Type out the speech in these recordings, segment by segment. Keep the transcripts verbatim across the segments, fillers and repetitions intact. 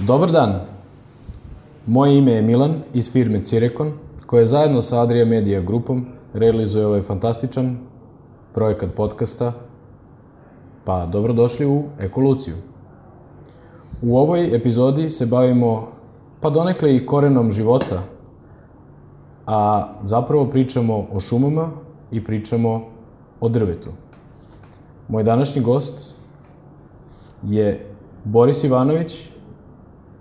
Dobar dan, moje ime je Milan iz firme Cirekon, koja zajedno sa Adria Media grupom realizuje ovaj fantastičan projekat podcasta, pa dobrodošli u Ekoluciju. U ovoj epizodi se bavimo pa donekle i korenom života, a zapravo pričamo o šumama i pričamo o drvetu. Moj današnji gost je Boris Ivanović,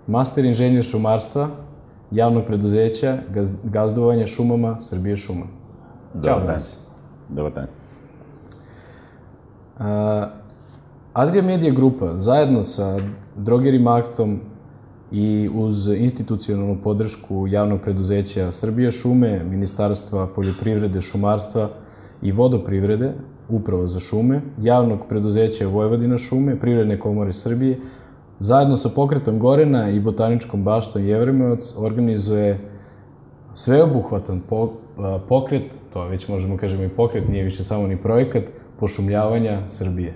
master inženjer šumarstva, javnog preduzeća gazdovanja šumama Srbije šuma. Ćao, Boris. Dobar dan. Adria Media grupa zajedno sa Drogeri Marketom i uz institucionalnu podršku javnog preduzeća Srbije šume, Ministarstva poljoprivrede, šumarstva i vodoprivrede, upravo za šume, javnog preduzeća Vojvodina šume, Privredne komore Srbije, zajedno sa Pokretom Gorena i Botaničkom baštom Jevremovac organizuje sveobuhvatan pokret, to već možemo kažemo i pokret, nije više samo ni projekat, pošumljavanja Srbije.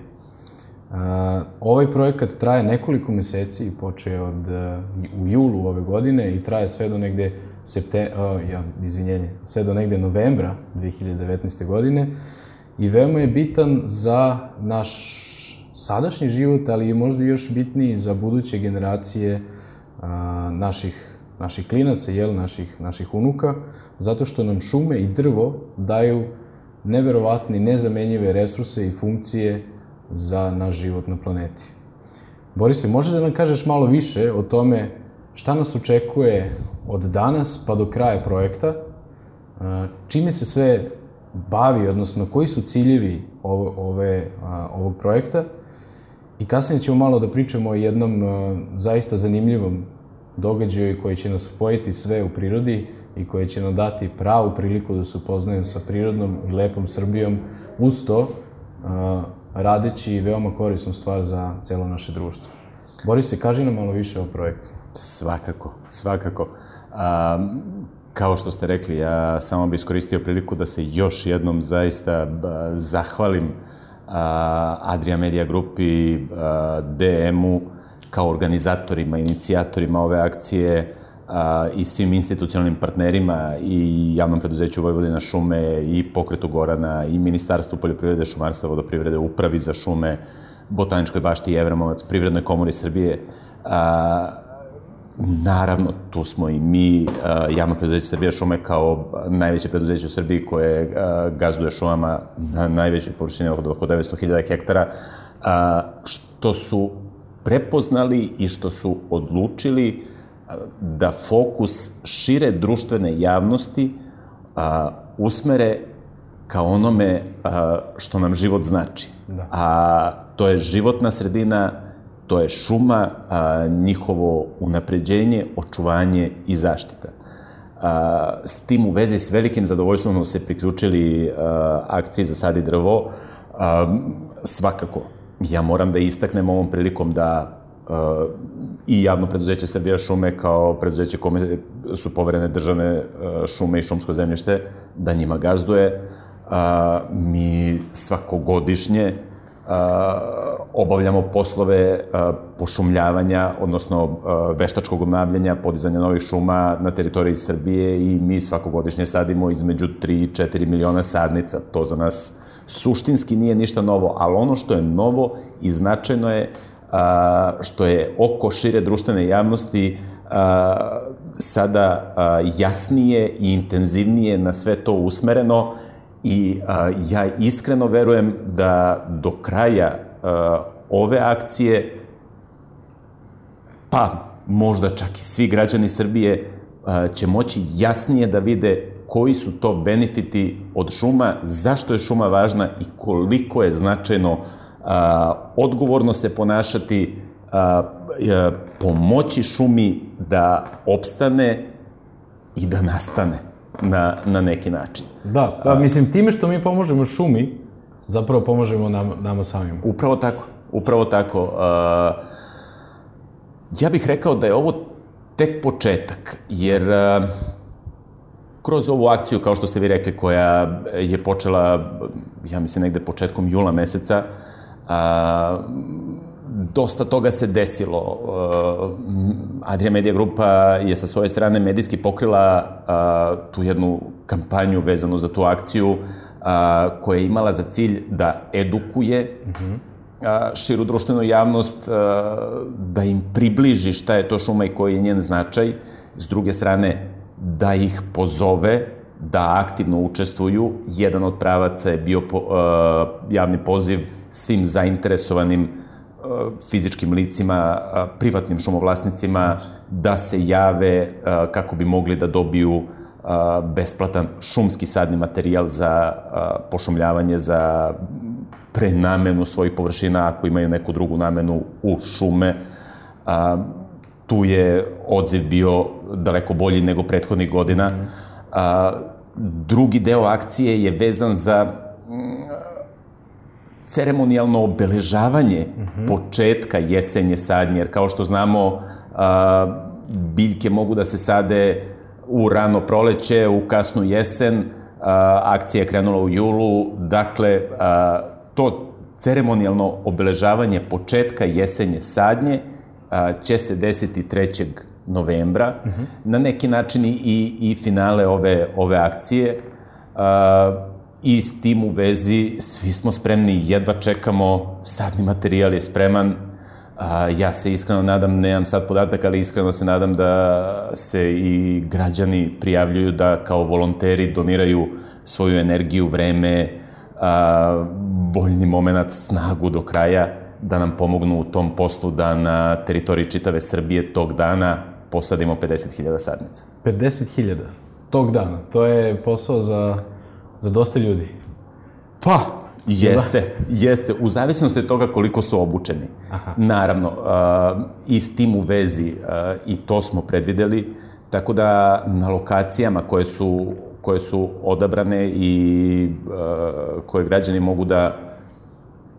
Ovaj projekat traje nekoliko meseci i počeo od u julu ove godine i traje sve do negde septe, ja, izvinjenje, sve do negde novembra dve hiljade devetnaeste. godine i veoma je bitan za naš sadašnji život, ali je možda još bitniji za buduće generacije a, naših, naših klinaca, jel, naših, naših unuka, zato što nam šume i drvo daju neverovatne, nezamenjive resurse i funkcije za naš život na planeti. Borise, možeš da nam kažeš malo više o tome šta nas očekuje od danas pa do kraja projekta, čime se sve bavi, odnosno koji su ciljevi ove, ove, ovog projekta, i kasnije ćemo malo da pričamo o jednom zaista zanimljivom događaju koji će nas spojiti sve u prirodi i koji će nam dati pravu priliku da se upoznajemo sa prirodnom i lepom Srbijom, uz to radeći veoma korisnu stvar za celo naše društvo. Borise, kaži nam malo više o projektu. Svakako, svakako. A, kao što ste rekli, ja samo bih iskoristio priliku da se još jednom zaista zahvalim a, Adria Media grupi, a, D M-u, kao organizatorima, inicijatorima ove akcije, a, i svim institucionalnim partnerima i javnom preduzeću Vojvodina šume i Pokretu Gorana i Ministarstvu poljoprivrede, šumarstva, vodoprivrede, Upravi za šume, Botaničkoj bašti Jevremovac, Privrednoj komori Srbije. A, naravno, tu smo i mi, a, javno preduzeće Srbija šume kao najveće preduzeće u Srbiji koje a, gazduje šumama na najvećoj površini od oko devetsto hiljada hektara, a, što su prepoznali i što su odlučili da fokus šire društvene javnosti a, usmere ka onome a, što nam život znači. Da. A to je životna sredina, to je šuma, a, njihovo unapređenje, očuvanje i zaštita. A, s tim u vezi s velikim zadovoljstvom smo se priključili a, akciji za sad i drvo. A, svakako, ja moram da istaknem ovom prilikom da Uh, i javno preduzeće Srbija šume kao preduzeće kome su poverene državne uh, šume i šumsko zemljište, da njima gazduje. Uh, mi svakogodišnje uh, obavljamo poslove uh, pošumljavanja, odnosno uh, veštačkog obnavljanja, podizanja novih šuma na teritoriji Srbije i mi svakogodišnje sadimo između tri i četiri miliona sadnica. To za nas suštinski nije ništa novo, ali ono što je novo i značajno je A, što je oko šire društvene javnosti a, sada a, jasnije i intenzivnije na sve to usmereno i a, ja iskreno verujem da do kraja a, ove akcije, pa možda čak i svi građani Srbije a, će moći jasnije da vide koji su to benefiti od šuma, zašto je šuma važna i koliko je značajno A, odgovorno se ponašati, a, a, pomoći šumi da opstane i da nastane na, na neki način. Da, pa mislim, time što mi pomožemo šumi, zapravo pomožemo nam, nama samim. Upravo tako, upravo tako. A, ja bih rekao da je ovo tek početak, jer a, kroz ovu akciju, kao što ste vi rekli, koja je počela, ja mislim, negde početkom jula meseca, a, dosta toga se desilo. Adria Media Grupa je sa svoje strane medijski pokrila tu jednu kampanju vezanu za tu akciju koja je imala za cilj da edukuje širu društvenu javnost, da im približi šta je to šuma i koji je njen značaj. S druge strane, da ih pozove da aktivno učestvuju. Jedan od pravaca je bio javni poziv svim zainteresovanim fizičkim licima, privatnim šumovlasnicima, da se jave kako bi mogli da dobiju besplatan šumski sadni materijal za pošumljavanje, za prenamenu svojih površina ako imaju neku drugu namenu u šume. Tu je odziv bio daleko bolji nego prethodnih godina. Drugi deo akcije je vezan za ceremonijalno obeležavanje početka jesenje sadnje, jer kao što znamo, biljke mogu da se sade u rano proleće, u kasnu jesen, akcija je krenula u julu, dakle, to ceremonijalno obeležavanje početka jesenje sadnje će se desiti trećeg novembra, na neki način i finale ove akcije. I s tim u vezi svi smo spremni, jedva čekamo, sadni materijal je spreman. Ja se iskreno nadam, nemam sad podatak, ali iskreno se nadam da se i građani prijavljuju da kao volonteri doniraju svoju energiju, vreme, voljni moment, snagu do kraja, da nam pomognu u tom poslu da na teritoriji čitave Srbije tog dana posadimo pedeset hiljada sadnica. pedeset hiljada? Tog dana? To je posao za... Za dosta ljudi? Pa, jeste, jeste. U zavisnosti od toga koliko su obučeni. Naravno, i s tim u vezi i to smo predvideli, tako da na lokacijama koje su odabrane i koje građani mogu da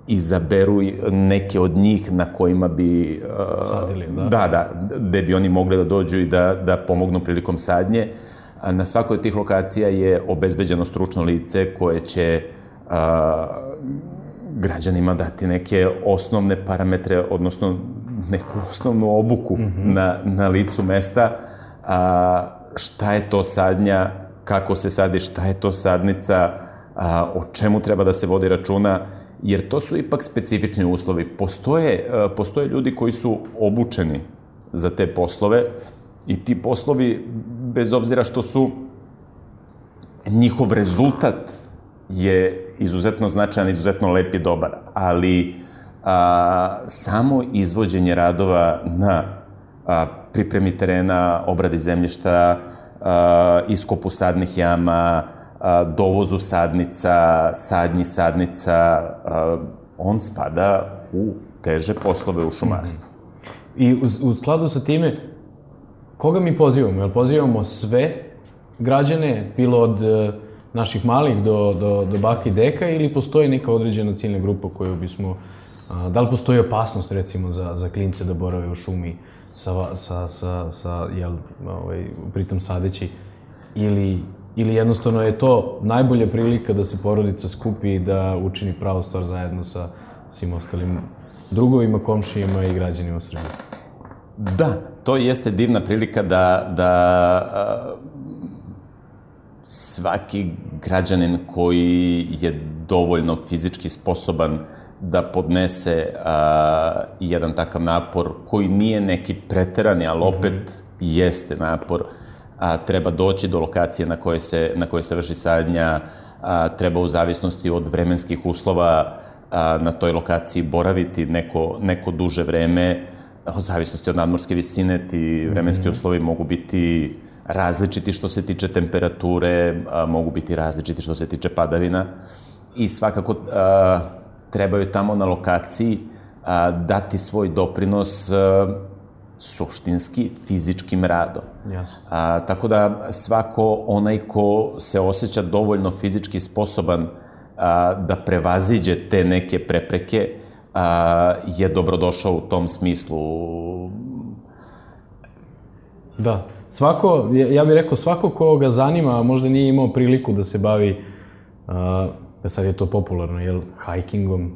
izaberu neke od njih na kojima bi... Sadili, da? Da, da, gde bi oni mogli da dođu i da pomognu prilikom sadnje. Na svakoj od tih lokacija je obezbeđeno stručno lice koje će građanima dati neke osnovne parametre, odnosno neku osnovnu obuku na licu mesta. Šta je to sadnja, kako se sadi, šta je to sadnica, o čemu treba da se vodi računa, jer to su ipak specifični uslovi. Postoje ljudi koji su obučeni za te poslove i ti poslovi, bez obzira što su, njihov rezultat je izuzetno značajan, izuzetno lep i dobar, ali samo izvođenje radova na pripremi terena, obradi zemljišta, iskopu sadnih jama, dovozu sadnica, sadnji sadnica, on spada u teže poslove u šumarstvu. I u skladu sa time, koga mi pozivamo? Jel pozivamo sve građane, bilo od naših malih do baka i deka, ili postoji neka određena ciljna grupa koju bismo... Da li postoji opasnost, recimo, za klince da borave u šumi pritom sadeći, ili jednostavno je to najbolja prilika da se porodica skupi i da učini pravu stvar zajedno sa svim ostalim drugovima, komšijima i građanima Srbije? Da, to jeste divna prilika da svaki građanin koji je dovoljno fizički sposoban da podnese jedan takav napor, koji nije neki preterani, ali opet jeste napor, treba doći do lokacije na kojoj se vrši sadnja, treba u zavisnosti od vremenskih uslova na toj lokaciji boraviti neko duže vreme. U zavisnosti od nadmorske visine ti vremenski uslovi mogu biti različiti što se tiče temperature, mogu biti različiti što se tiče padavina i svakako trebaju tamo na lokaciji dati svoj doprinos suštinski, fizičkim radom. Tako da svako onaj ko se osjeća dovoljno fizički sposoban da prevaziđe te neke prepreke je dobrodošao u tom smislu. Da. Svako, ja bih rekao, svako ko ga zanima, možda nije imao priliku da se bavi, sad je to popularno, jel, hajkingom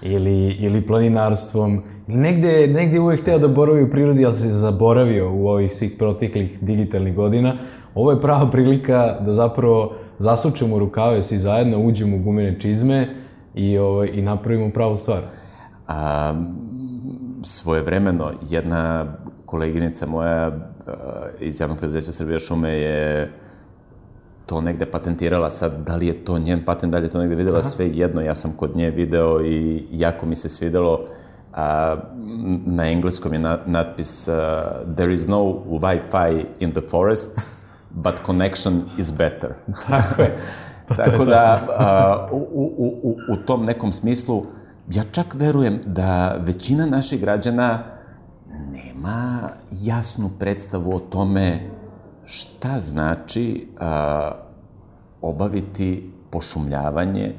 ili, ili planinarstvom. Negde, negde uvek hteo da boravi u prirodi, ali se zaboravio u ovih svih proteklih digitalnih godina. Ovo je prava prilika da zapravo zasučemo rukave svi zajedno, uđemo u gumene čizme i, ovaj, i napravimo pravu stvar. A, svojevremeno, jedna koleginica moja iz javnog preduzeća Srbija šume je to negde patentirala. Sad, da li je to njen patent, da li je to negde videla, sve jedno. Ja sam kod nje video i jako mi se svidelo. A, na engleskom je na, natpis uh, There is no Wi-Fi in the forests, but connection is better. Tako je. Tako da, a, u, u, u, u tom nekom smislu, ja čak verujem da većina naših građana nema jasnu predstavu o tome šta znači a, obaviti pošumljavanje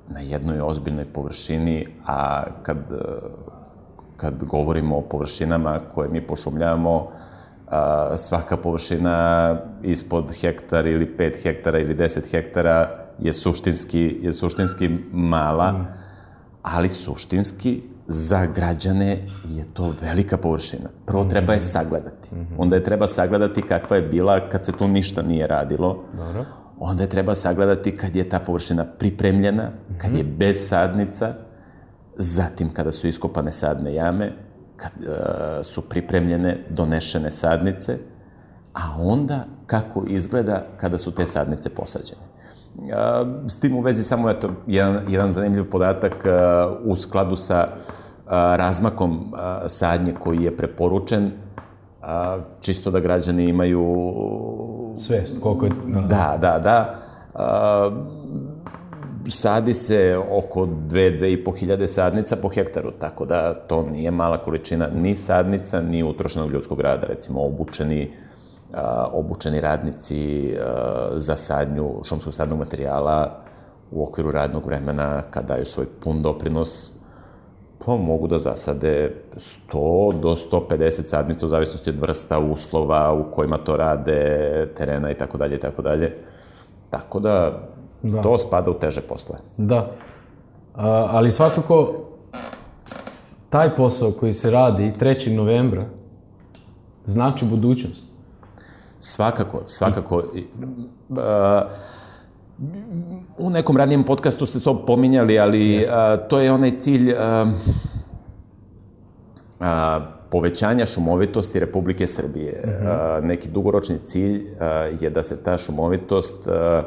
na jednoj ozbiljnoj površini, a kad, kad govorimo o površinama koje mi pošumljavamo, a, svaka površina ispod hektar ili pet hektara ili deset hektara je suštinski, je suštinski mala, mm. ali suštinski za građane je to velika površina. Prvo treba je sagledati. Mm-hmm. Onda je treba sagledati kakva je bila kad se tu ništa nije radilo. Dobro. Onda je treba sagledati kad je ta površina pripremljena, mm-hmm. kad je bez sadnica, zatim kada su iskopane sadne jame, kad uh, su pripremljene, donešene sadnice, a onda kako izgleda kada su te sadnice posađene. Uh, s tim u vezi samo eto, jedan, jedan zanimljiv podatak uh, u skladu sa uh, razmakom uh, sadnje koji je preporučen, uh, čisto da građani imaju svest, koliko je... Da, da, da. Uh, sadi se oko dve, dve i po hiljade sadnica po hektaru, tako da to nije mala količina ni sadnica, ni utrošenog ljudskog rada, recimo obučeni, uh, obučeni radnici uh, za sadnju šumskog sadnog materijala u okviru radnog vremena, kad daju svoj pun doprinos, pa mogu da zasade sto do sto pedeset sadnica u zavisnosti od vrsta, uslova u kojima to rade, terena i tako dalje i tako dalje. Tako da, da, to spada u teže posle. Da, A, ali svakako taj posao koji se radi trećeg novembra znači budućnost. Svakako, svakako. A, u nekom ranijem podcastu ste to pominjali, ali a, to je onaj cilj a, a, povećanja šumovitosti Republike Srbije. Uh-huh. A, neki dugoročni cilj a, je da se ta šumovitost a,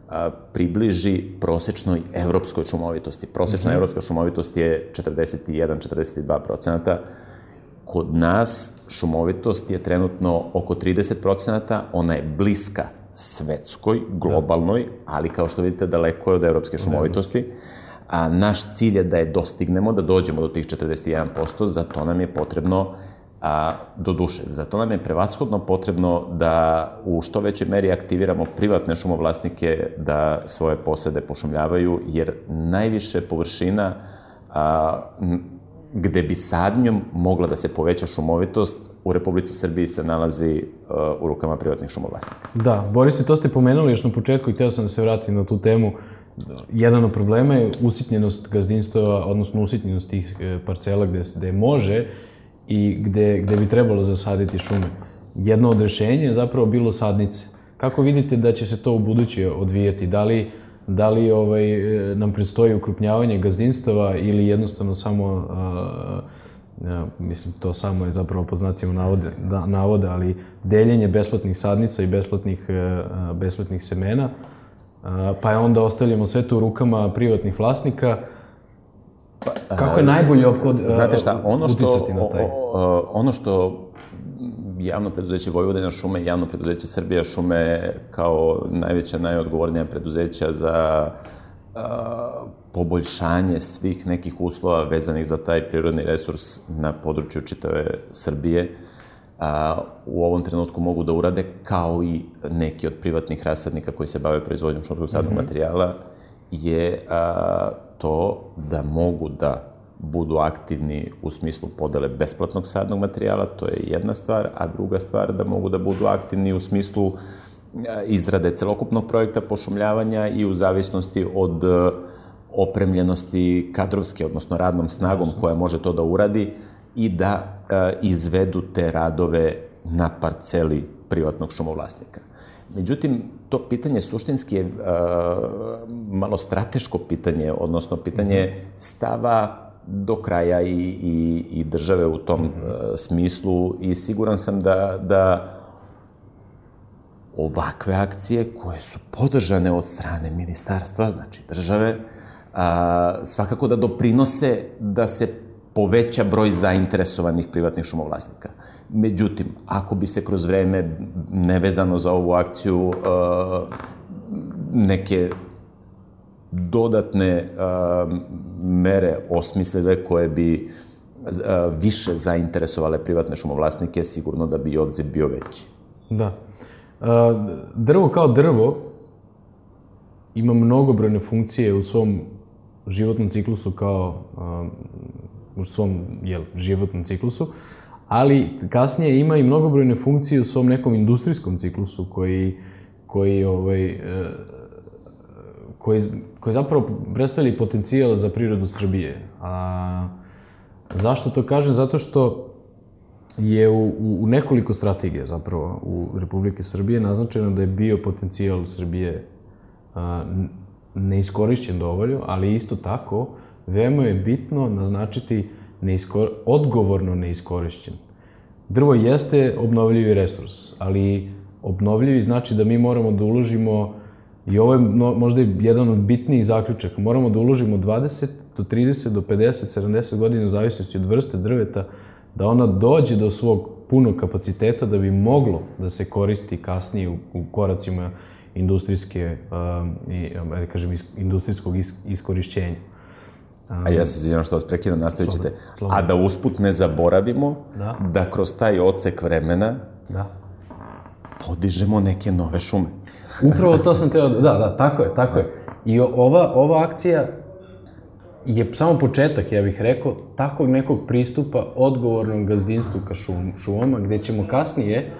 a, približi prosečnoj evropskoj šumovitosti. Prosečna uh-huh. evropska šumovitost je četrdeset jedan do četrdeset dva procenata. Kod nas šumovitost je trenutno oko trideset procenata, ona je bliska svetskoj, globalnoj, ali kao što vidite daleko je od evropske šumovitosti. A naš cilj je da je dostignemo, da dođemo do tih četrdeset jedan posto, za to nam je potrebno, a, do duše, za to nam je prevashodno potrebno da u što većoj meri aktiviramo privatne šumovlasnike da svoje posede pošumljavaju, jer najviše površina a, gde bi sadnjom mogla da se poveća šumovitost u Republici Srbiji se nalazi uh, u rukama privatnih šumovlasnika. Da, Boris, to ste pomenuli još na početku i hteo sam da se vratim na tu temu. Jedan od problema je usitnjenost gazdinstava, odnosno usitnjenost tih parcela gde, gde može i gde, gde bi trebalo zasaditi šume. Jedno od rešenja je zapravo bilo sadnice. Kako vidite da će se to u buduće odvijati? Da li Da li ovaj, nam predstoji ukrupnjavanje gazdinstava ili jednostavno samo, a, a, mislim, to samo je zapravo po znacima navode, da, navode, ali deljenje besplatnih sadnica i besplatnih, a, besplatnih semena, a, pa je onda ostavljamo sve to u rukama privatnih vlasnika. Kako je najbolje opkod, a, Znate šta, ono što, uticati na taj? O, ono što javno preduzeće Vojvodina šume i javno preduzeće Srbija šume kao najveća, najodgovornija preduzeća za a, poboljšanje svih nekih uslova vezanih za taj prirodni resurs na području čitave Srbije a, u ovom trenutku mogu da urade, kao i neki od privatnih rasadnika koji se bave proizvodnjom šumskog sadnog mm-hmm. materijala, je a, to da mogu da budu aktivni u smislu podele besplatnog sadnog materijala, to je jedna stvar, a druga stvar da mogu da budu aktivni u smislu izrade celokupnog projekta pošumljavanja i u zavisnosti od, opremljenosti kadrovske, odnosno radnom snagom koja može to da uradi i da izvedu te radove na parceli privatnog šumovlasnika. Međutim, to pitanje suštinski je malo strateško pitanje, odnosno pitanje stava do kraja i, i, i države u tom uh, smislu i siguran sam da, da ovakve akcije koje su podržane od strane ministarstva, znači države, a, svakako da doprinose da se poveća broj zainteresovanih privatnih šumovlasnika. Međutim, ako bi se kroz vreme, nevezano za ovu akciju, a, neke dodatne a, mere osmislile koje bi a, više zainteresovale privatne šumovlasnike, sigurno da bi i odziv bio veći. Da. A, drvo kao drvo ima mnogobrojne funkcije u svom životnom ciklusu kao a, u svom jel, životnom ciklusu, ali kasnije ima i mnogobrojne funkcije u svom nekom industrijskom ciklusu koji, koji, ovaj, koji, koji zapravo predstavlja potencijal za prirodu Srbije. A zašto to kažem? Zato što je u, u nekoliko strategija zapravo u Republike Srbije naznačeno da je bio potencijal Srbije a, neiskorišćen dovoljno, ali isto tako veoma je bitno naznačiti neiskor... odgovorno neiskorišćen. Drvo jeste obnovljivi resurs, ali obnovljivi znači da mi moramo da uložimo, i ovo je možda jedan od bitnijih zaključaka, moramo da uložimo dvadeset do trideset do pedeset, sedamdeset godina u zavisnosti od vrste drveta, da ona dođe do svog punog kapaciteta da bi moglo da se koristi kasnije u, u koracima industrijske, uh, i, da kažem, industrijskog is, iskorišćenja. Um, A ja se izvinjam što vas prekidam, nastavit ćete. A da usput ne zaboravimo da, da kroz taj odsek vremena da. podižemo neke nove šume. Upravo to sam teo da, da, da, tako je, tako je. I ova, ova akcija je samo početak, ja bih rekao, takvog nekog pristupa odgovornom gazdinstvu ka šum, šumama, gde ćemo kasnije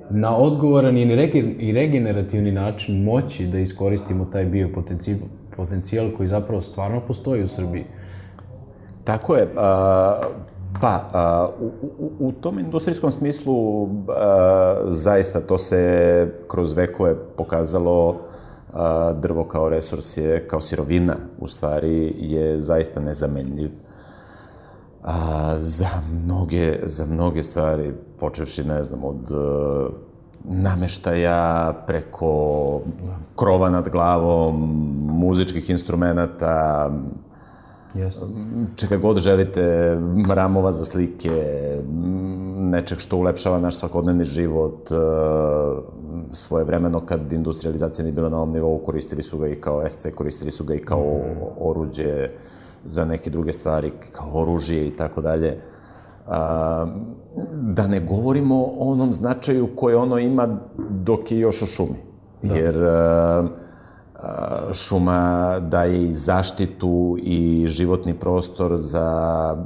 na odgovoran i, rege, i regenerativni način moći da iskoristimo taj biopotencijal potencijal koji zapravo stvarno postoji u Srbiji. Tako je. A, pa, a, u, u, u tom industrijskom smislu a, zaista to se kroz vekove pokazalo. A, drvo kao resurs je, kao sirovina, u stvari, je zaista nezamenljiv. A, za mnoge, za mnoge stvari, počevši, ne znam, od uh, nameštaja, preko krova nad glavom, muzičkih instrumenta, yes. čega god želite, ramova za slike, nečeg što ulepšava naš svakodnevni život. Svojevremeno, kad industrializacija nije bila na ovom nivou, koristili su ga i kao es ce, koristili su ga i kao oruđe za neke druge stvari, kao oružje i tako dalje. Da ne govorimo o onom značaju koje ono ima dok je još u šumi. Da. Jer a, a, šuma daje i zaštitu i životni prostor za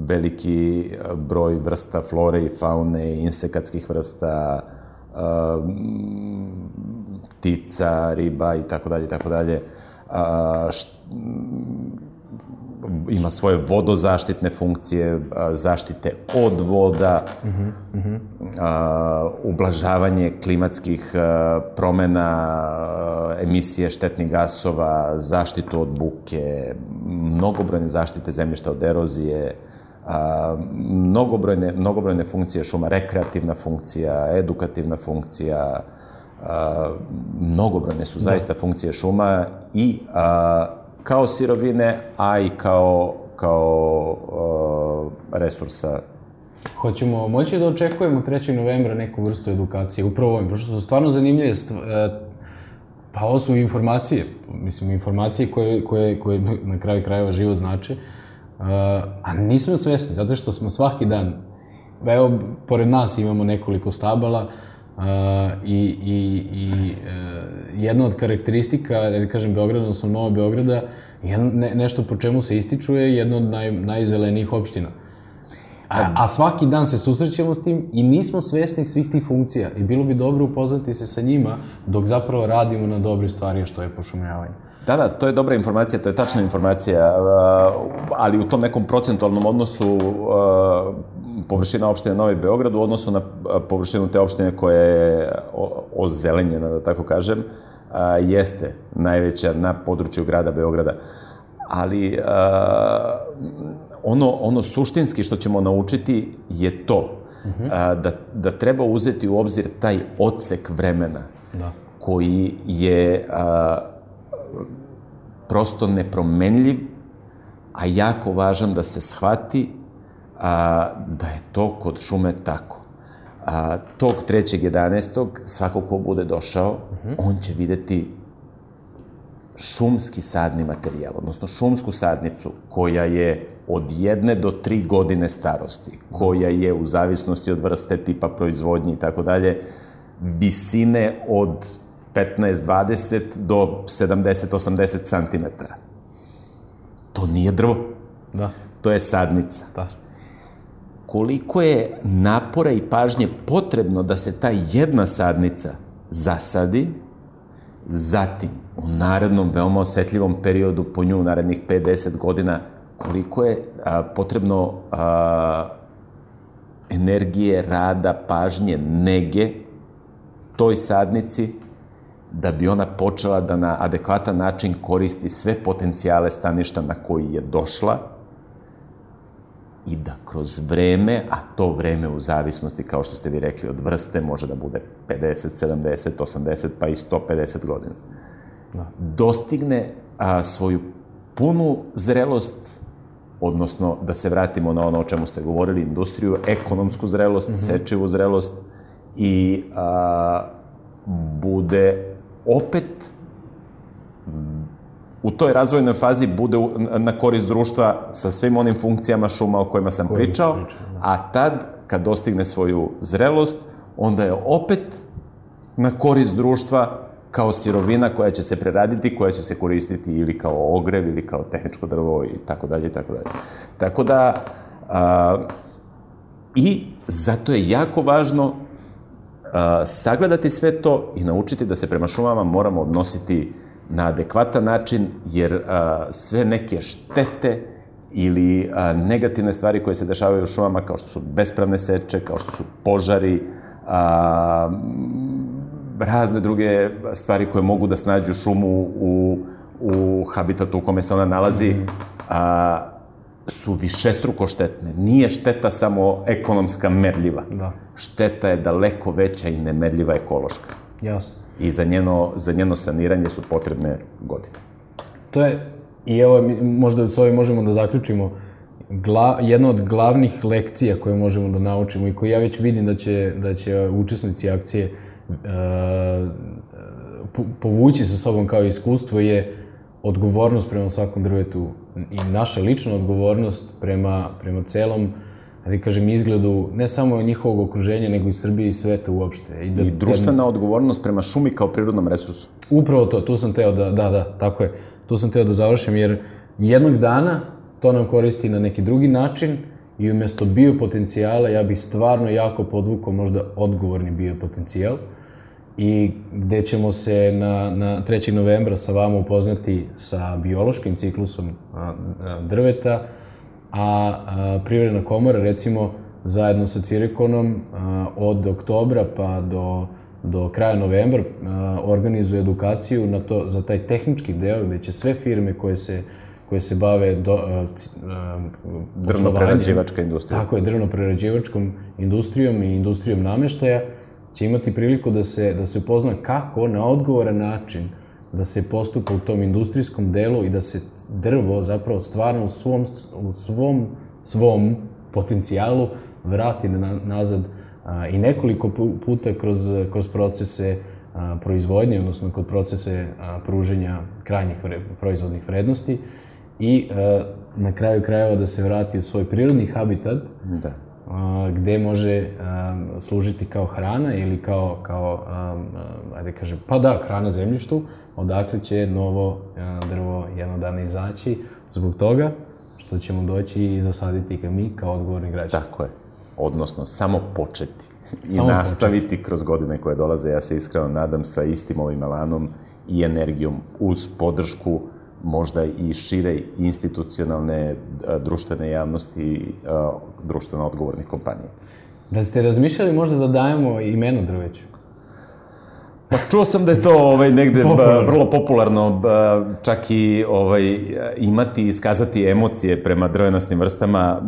veliki broj vrsta flore i faune, insekatskih vrsta, a, ptica, riba i tako dalje i tako dalje. Ima svoje vodozaštitne funkcije, zaštite od voda, uh-huh, uh-huh. A, ublažavanje klimatskih a, promena, a, emisije štetnih gasova, zaštitu od buke, mnogobrojne zaštite zemljišta od erozije, a, mnogobrojne, mnogobrojne funkcije šuma, rekreativna funkcija, edukativna funkcija, a, mnogobrojne su zaista da. funkcije šuma i a, kao sirovine, a i kao, kao uh, resursa. Hoćemo moći da očekujemo trećeg novembra neku vrstu edukacije, upravo ovim, pošto su stvarno zanimljive, pa ovo su informacije, mislim, informacije koje, koje, koje na kraju krajeva život znači, a nismo svesni, zato što smo svaki dan, evo, pored nas imamo nekoliko stabala, Uh, i, i, i uh, jedna od karakteristika, jer kažem, Beograda, odnosno Novog Beograda, jedno, ne, nešto po čemu se ističu je jedna od naj, najzelenijih opština. A, a svaki dan se susrećemo s tim i nismo svesni svih tih funkcija i bilo bi dobro upoznati se sa njima dok zapravo radimo na dobre stvari što je pošumljavanje. Da, da, to je dobra informacija, to je tačna informacija, ali u tom nekom procentualnom odnosu površina opštine Novi Beograd u odnosu na površinu te opštine koja je ozelenjena, da tako kažem, jeste najveća na području grada Beograda. Ali ono, ono suštinski što ćemo naučiti je to, da, da treba uzeti u obzir taj odsek vremena da. koji je prosto nepromenljiv, a jako važan da se shvati a, da je to kod šume tako. A, tog trećeg jedanaestog svako ko bude došao, uh-huh. on će videti šumski sadni materijal, odnosno šumsku sadnicu koja je od jedne do tri godine starosti, koja je u zavisnosti od vrste, tipa proizvodnje i tako dalje, visine od petnaest dvadeset do sedamdeset osamdeset santimetara. To nije drvo. Da. To je sadnica. Da. Koliko je napora i pažnje potrebno da se ta jedna sadnica zasadi, zatim u narednom veoma osetljivom periodu po nju, narednih pet do deset godina, koliko je a, potrebno a, energije, rada, pažnje, nege toj sadnici da bi ona počela da na adekvatan način koristi sve potencijale staništa na koji je došla i da kroz vreme, a to vreme u zavisnosti, kao što ste vi rekli, od vrste može da bude pedeset, sedamdeset, osamdeset, pa i sto pedeset godina, da. dostigne a, svoju punu zrelost, odnosno da se vratimo na ono o čemu ste govorili, industriju, ekonomsku zrelost, mm-hmm. sečivu zrelost i a, bude opet u toj razvojnoj fazi bude na korist društva sa svim onim funkcijama šuma o kojima sam pričao, a tad, kad dostigne svoju zrelost, onda je opet na korist društva kao sirovina koja će se preraditi, koja će se koristiti ili kao ogrev, ili kao tehničko drvo i tako dalje, i tako dalje. Tako da, a, i zato je jako važno a, sagledati sve to i naučiti da se prema šumama moramo odnositi na adekvatan način, jer a, sve neke štete ili a, negativne stvari koje se dešavaju u šumama, kao što su bespravne seče, kao što su požari, a, razne druge stvari koje mogu da snađu šumu u, u habitatu u kome se ona nalazi, a, su višestruko štetne. Nije šteta samo ekonomska merljiva. Da. Šteta je daleko veća i nemerljiva ekološka. Jasno. I za njeno, za njeno saniranje su potrebne godine. To je, i evo, možda s ovim možemo da zaključimo, gla, jedna od glavnih lekcija koje možemo da naučimo i koju ja već vidim da će, da će učesnici akcije uh, povući sa sobom kao iskustvo je odgovornost prema svakom drvetu i naša lična odgovornost prema, prema celom, da kažem, izgledu ne samo njihovog okruženja, nego i Srbije i sveta uopšte. I, da, I društvena jedna... odgovornost prema šumi kao prirodnom resursu. Upravo to, tu sam teo da, da, da, tako je, tu sam teo da završim, jer jednog dana to nam koristi na neki drugi način i umjesto biopotencijala ja bih stvarno jako podvukao možda odgovorni biopotencijal i gde ćemo se na, na trećeg novembra sa vama upoznati sa biološkim ciklusom a, a, drveta, a, a Privredna komora, recimo, zajedno sa Cirikonom a, od oktobra pa do, do kraja novembra a, organizuje edukaciju na to, za taj tehnički deo gde će sve firme koje se koje se bave do, a, a, drvno-prerađivačka industrija. Tako je, drvno-prerađivačkom industrijom i industrijom nameštaja će imati priliku da se, da se upozna kako na odgovoran način da se postupa u tom industrijskom delu i da se drvo zapravo stvarno u svom, u svom, svom potencijalu vrati na, nazad a, i nekoliko puta kroz, kroz procese a, proizvodnje, odnosno kod procese a, pruženja krajnjih vre, proizvodnih vrednosti i a, na kraju krajeva da se vrati u svoj prirodni habitat, da. A, gde može a, služiti kao hrana ili kao, kao a, a, ajde kažem, pa da, hrana zemljištu, odakle će novo a, drvo jednog dana izaći zbog toga što što ćemo doći i zasaditi ga mi kao odgovorni građani. Tako je. Odnosno, samo početi i Samo nastaviti početi. kroz godine koje dolaze. Ja se iskreno nadam sa istim ovim elanom i energijom uz podršku možda i šire institucionalne društvene javnosti, društveno odgovornih kompanija. Da ste razmišljali možda da dajemo imeno drveću? Pa čuo sam da je to ovaj, negde Popularno. vrlo popularno, čak i ovaj, imati i iskazati emocije prema drvenastim vrstama.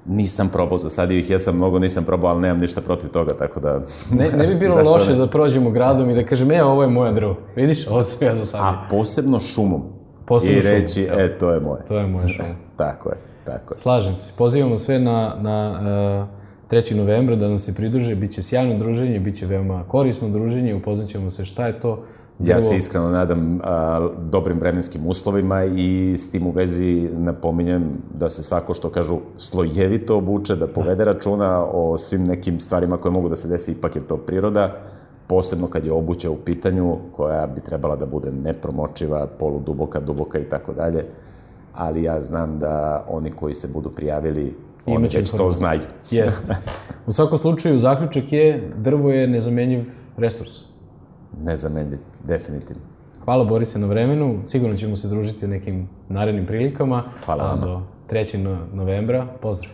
Nisam probao, zasadio ih, ja sam mnogo nisam probao, ali nemam ništa protiv toga, tako da... Ne, ne bi bilo loše da prođemo gradom i da kažem, e, ovo je moja drvo. Vidiš, ovo sam ja zasadio. A posebno šumom. Posebno I šumom, reći, cijelo. e, to je moje. To je moja šuma. Tako je, tako je. Slažem se. Pozivamo sve na, na uh, trećeg novembra da nam se pridruže. Biće sjajno druženje, biće veoma korisno druženje, upoznaćemo se šta je to. Ja se iskreno nadam a, dobrim vremenskim uslovima i s tim u vezi napominjem da se svako što kažu slojevito obuče, da povede računa o svim nekim stvarima koje mogu da se desi, ipak je to priroda, posebno kad je obuća u pitanju koja bi trebala da bude nepromočiva, poluduboka, duboka i tako dalje, ali ja znam da oni koji se budu prijavili, oni Imaće već to informaciju. znaju. Jeste. U svakom slučaju, zaključak je, drvo je nezamenjiv resurs. Nezamenljiv, definitivno. Hvala Borise na vremenu, sigurno ćemo se družiti u nekim narednim prilikama. Hvala A vama. do trećeg novembra, pozdrav.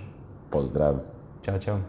Pozdrav. Ćao, čao.